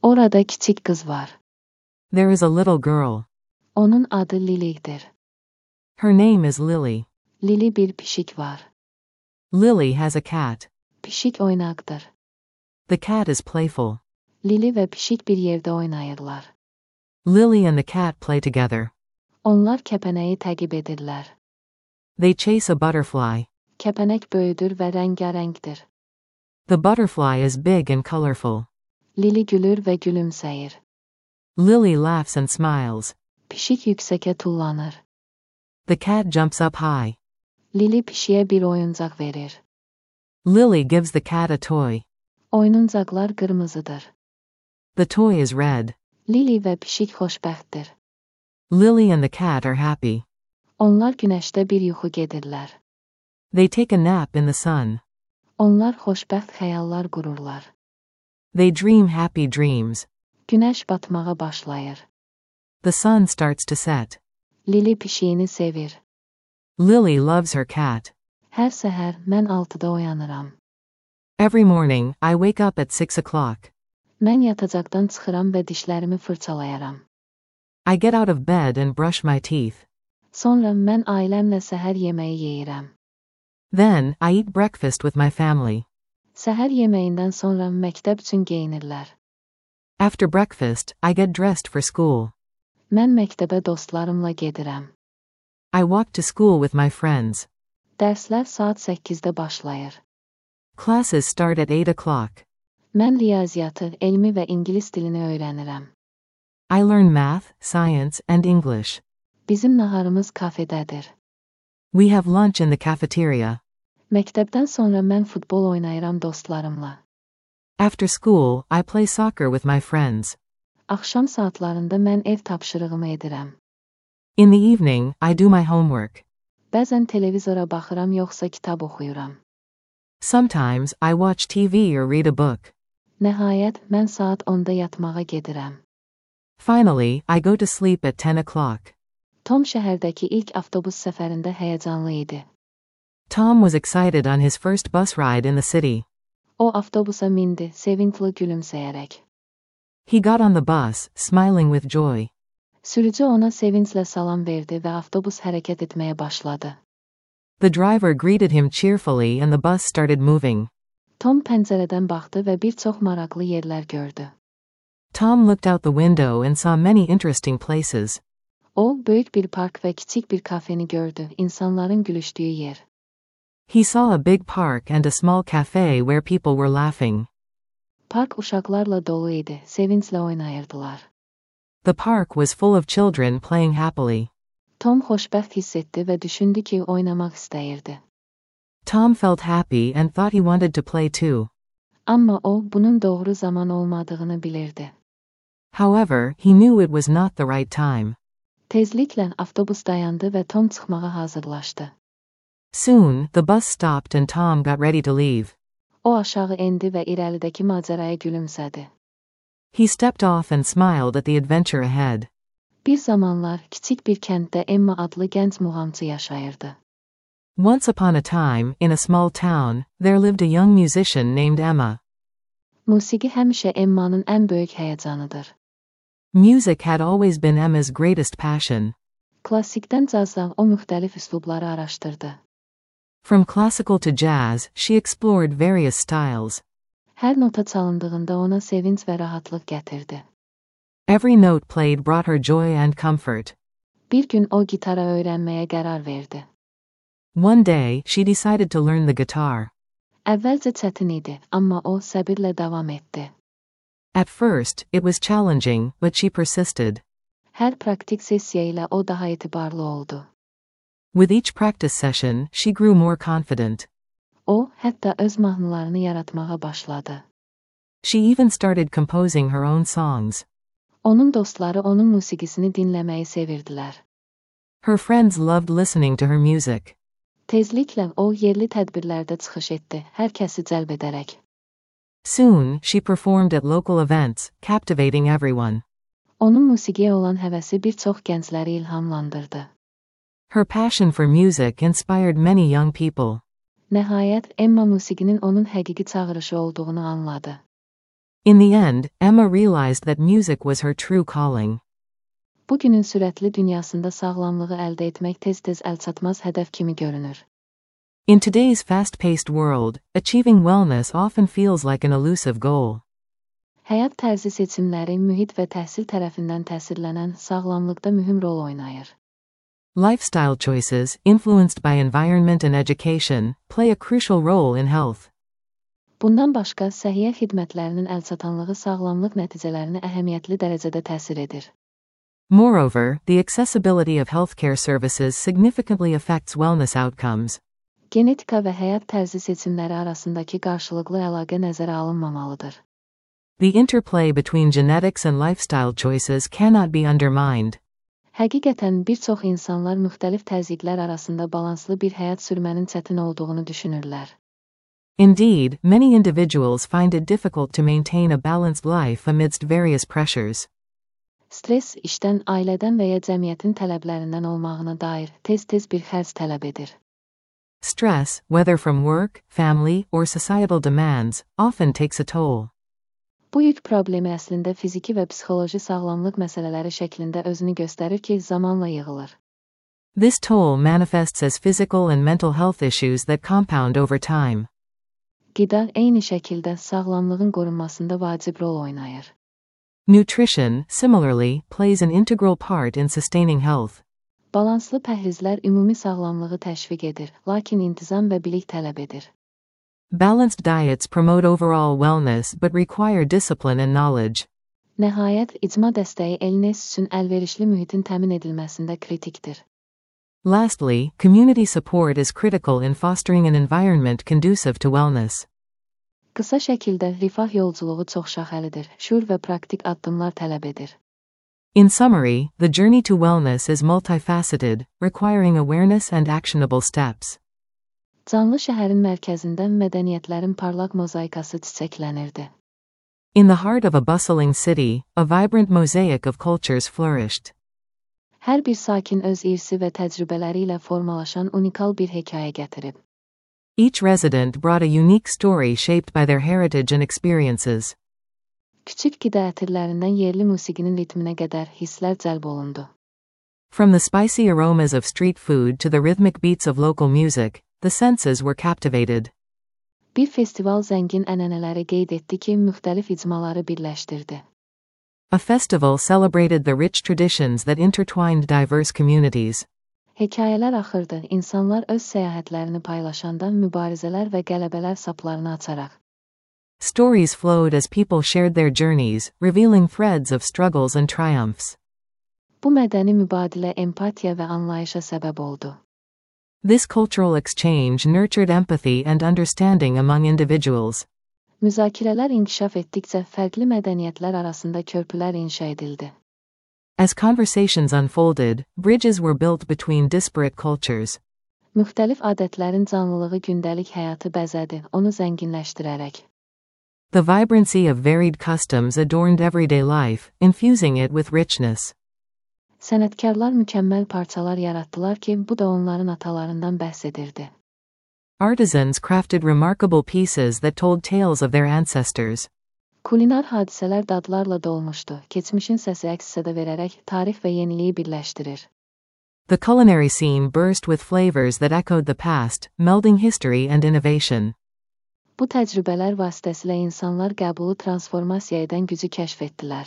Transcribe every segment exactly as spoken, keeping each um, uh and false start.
Orada küçük kız var. There is a little girl. Onun adı Lily'dir. Her name is Lily. Lily bir pişik var. Lily has a cat. Pişik oynaktır. The cat is playful. Lily ve pişik bir yerde oynayırlar. Lily and the cat play together. Onlar kepeneği takip edirler. They chase a butterfly. Kepenek böyüdür ve rengarenktir. The butterfly is big and colorful. Lily gülür ve gülümseyir. Lily laughs and smiles. Pişik yükseğe tullanır. The cat jumps up high. Lily pişiye bir oyuncak verir. Lily gives the cat a toy. Oyuncaklar kırmızıdır. The toy is red. Lily ve pişik hoşbəxtdir. Lily and the cat are happy. Onlar güneşte bir yuxu gedirlər. They take a nap in the sun. Onlar xoşbəxt xəyallar qururlar. They dream happy dreams. Güneş batmağa başlayır. The sun starts to set. Lily pişiyini sevir. Lily loves her cat. Hər səhər mən altıda oyanıram. Every morning, I wake up at six o'clock. Mən yatacaqdan çıxıram və dişlərimi fırçalayaram. I get out of bed and brush my teeth. Sonra mən ailəmlə səhər yeməyi yeyirəm. Then, I eat breakfast with my family. Səhər yeməyindən sonra məktəb üçün geyinirlər. After breakfast, I get dressed for school. Mən məktəbə dostlarımla gedirəm. I walk to school with my friends. Dərslər saat səkkizdə başlayır. Classes start at eight o'clock. Mən riyaziyyatı, elmi və ingilis dilini öyrənirəm. I learn math, science, and English. Bizim naharımız kafedədir. We have lunch in the cafeteria. Məktəbdən sonra mən futbol oynayıram dostlarımla. After school, I play soccer with my friends. Axşam saatlarında mən ev tapşırığımı edirəm. In the evening, I do my homework. Bəzən televizora baxıram yoxsa kitab oxuyuram. Sometimes, I watch T V or read a book. Nəhayət, mən saat onda yatmağa gedirəm. Finally, I go to sleep at ten o'clock. Tom şəhərdəki ilk avtobus səfərində həyəcanlı idi. Tom was excited on his first bus ride in the city. O avtobusa mindi, sevincli gülümsəyərək. He got on the bus, smiling with joy. Sürücü ona sevinclə salam verdi və avtobus hərəkət etməyə başladı. The driver greeted him cheerfully and the bus started moving. Tom pəncərədən baxdı və bir çox maraqlı yerlər gördü. Tom looked out the window and saw many interesting places. O, böyük bir park və kiçik bir kafeni gördü, insanların gülüşdüyü yer. He saw a big park and a small cafe where people were laughing. Park uşaqlarla dolu idi, sevinclə oynayırdılar. The park was full of children playing happily. Tom xoşbəxt hiss etdi və düşündü ki, oynamaq istəyirdi. Tom felt happy and thought he wanted to play too. Amma o, bunun doğru zaman olmadığını bilirdi. However, he knew it was not the right time. Tezliklə avtobus dayandı və Tom çıxmağa hazırlaşdı. Soon, the bus stopped and Tom got ready to leave. O aşağı endi və irəlidəki macəraya gülümsədi. He stepped off and smiled at the adventure ahead. Bir zamanlar kiçik bir kənddə Emma adlı gənc muğamçı yaşayırdı. Once upon a time, in a small town, there lived a young musician named Emma. Musiqi həmişə Emma'nın ən böyük həyəcanıdır. Music had always been Emma's greatest passion. Klassikdən cazdan o müxtəlif üslubları araşdırdı. From classical to jazz, she explored various styles. Hər nota çalındığında ona sevinç və rahatlıq gətirdi. Every note played brought her joy and comfort. Bir gün o gitara öyrənməyə qərar verdi. One day, she decided to learn the guitar. Əvvəlcə çətin idi, amma o səbirlə davam etdi. At first, it was challenging, but she persisted. Hər praktik sessiya ilə o daha etibarlı oldu. With each practice session, she grew more confident. O, hətta öz mahnılarını yaratmağa başladı. She even started composing her own songs. Onun dostları onun musiqisini dinləməyi sevirdilər. Her friends loved listening to her music. Tezliklə o yerli tədbirlərdə çıxış etdi, hər kəsi cəlb edərək. Soon, she performed at local events, captivating everyone. Onun musiqiyə olan həvəsi bir çox gəncləri ilhamlandırdı. Her passion for music inspired many young people. Nəhayət, Emma musiqinin onun həqiqi çağırışı olduğunu anladı. In the end, Emma realized that music was her true calling. Bugünün sürətli dünyasında sağlamlığı əldə etmək tez-tez əlçatmaz hədəf kimi görünür. In today's fast-paced world, achieving wellness often feels like an elusive goal. Həyat tərzi seçimləri mühit və təhsil tərəfindən təsirlənən sağlamlıqda mühüm rol oynayır. Lifestyle choices, influenced by environment and education, play a crucial role in health. Bundan başqa, səhiyyə xidmətlərinin əlçatanlığı sağlamlıq nəticələrini əhəmiyyətli dərəcədə təsir edir. Moreover, the accessibility of healthcare services significantly affects wellness outcomes. Genetika və həyat tərzi seçimləri arasındakı qarşılıqlı əlaqə nəzərə alınmamalıdır. The interplay between genetics and lifestyle choices cannot be undermined. Həqiqətən bir çox insanlar müxtəlif təzyiqlər arasında balanslı bir həyat sürmənin çətin olduğunu düşünürlər. Indeed, many individuals find it difficult to maintain a balanced life amidst various pressures. Stres, işdən, ailədən və ya cəmiyyətin tələblərindən olmağına dair tez-tez bir xərc tələb edir. Stress, whether from work, family, or societal demands, often takes a toll. Bu yük problemi əslində fiziki və psixoloji sağlamlıq məsələləri şəklində özünü göstərir ki, zamanla yığılır. This toll manifests as physical and mental health issues that compound over time. Qida eyni şəkildə sağlamlığın qorunmasında vacib rol oynayır. Nutrition, similarly, plays an integral part in sustaining health. Balanslı pəhrizlər ümumi sağlamlığı təşviq edir, lakin intizam və bilik tələb edir. Balanced diets promote overall wellness but require discipline and knowledge. Nəhayət, icma dəstəyi elnes üçün əlverişli mühitin təmin edilməsində kritikdir. Lastly, community support is critical in fostering an environment conducive to wellness. Qısa şəkildə rifah yolculuğu çoxşaxəlidir, şuur və praktik addımlar tələb edir. In summary, the journey to wellness is multifaceted, requiring awareness and actionable steps. Canlı şəhərin mərkəzində mədəniyyətlərin parlaq mozaikası çiçəklənirdi. In the heart of a bustling city, a vibrant mosaic of cultures flourished. Hər bir sakin öz irsi və təcrübələri ilə formalaşan unikal bir hekayə gətirib. Each resident brought a unique story shaped by their heritage and experiences. Küçük qida ətirlərindən yerli musiqinin ritminə qədər hisslər cəlb olundu. From the spicy aromas of street food to the rhythmic beats of local music, the senses were captivated. Bir festival zəngin ənənələri qeyd etdi ki, müxtəlif icmaları birləşdirdi. A festival celebrated the rich traditions that intertwined diverse communities. Hekayələr axırdı, insanlar öz səyahətlərini paylaşanda mübarizələr və qələbələr saplarını açaraq. Stories flowed as people shared their journeys, revealing threads of struggles and triumphs. Bu mədəni mübadilə empatiya və anlayışa səbəb oldu. This cultural exchange nurtured empathy and understanding among individuals. Müzakirələr inkişaf etdikcə fərqli mədəniyyətlər arasında körpülər inşa edildi. As conversations unfolded, bridges were built between disparate cultures. Müxtəlif adətlərin canlılığı gündəlik həyatı bəzədi, onu zənginləşdirərək. The vibrancy of varied customs adorned everyday life, infusing it with richness. Sənətkarlar mükəmməl parçalar yaratdılar ki, bu da onların atalarından bəhs edirdi. Artisans crafted remarkable pieces that told tales of their ancestors. Kulinar hadisələr dadlarla dolmuşdu, keçmişin səsi əks-səda verərək tarix və yeniliyi birləşdirir. The culinary scene burst with flavors that echoed the past, melding history and innovation. Bu təcrübələr vasitəsilə insanlar qəbulu transformasiya edən gücü kəşf etdilər.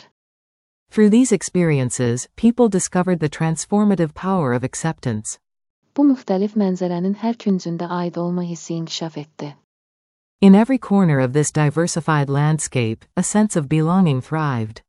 Through these experiences, people discovered the transformative power of acceptance. Bu müxtəlif mənzərənin hər küncündə aid olma hissi inkişaf etdi. In every corner of this diversified landscape, a sense of belonging thrived.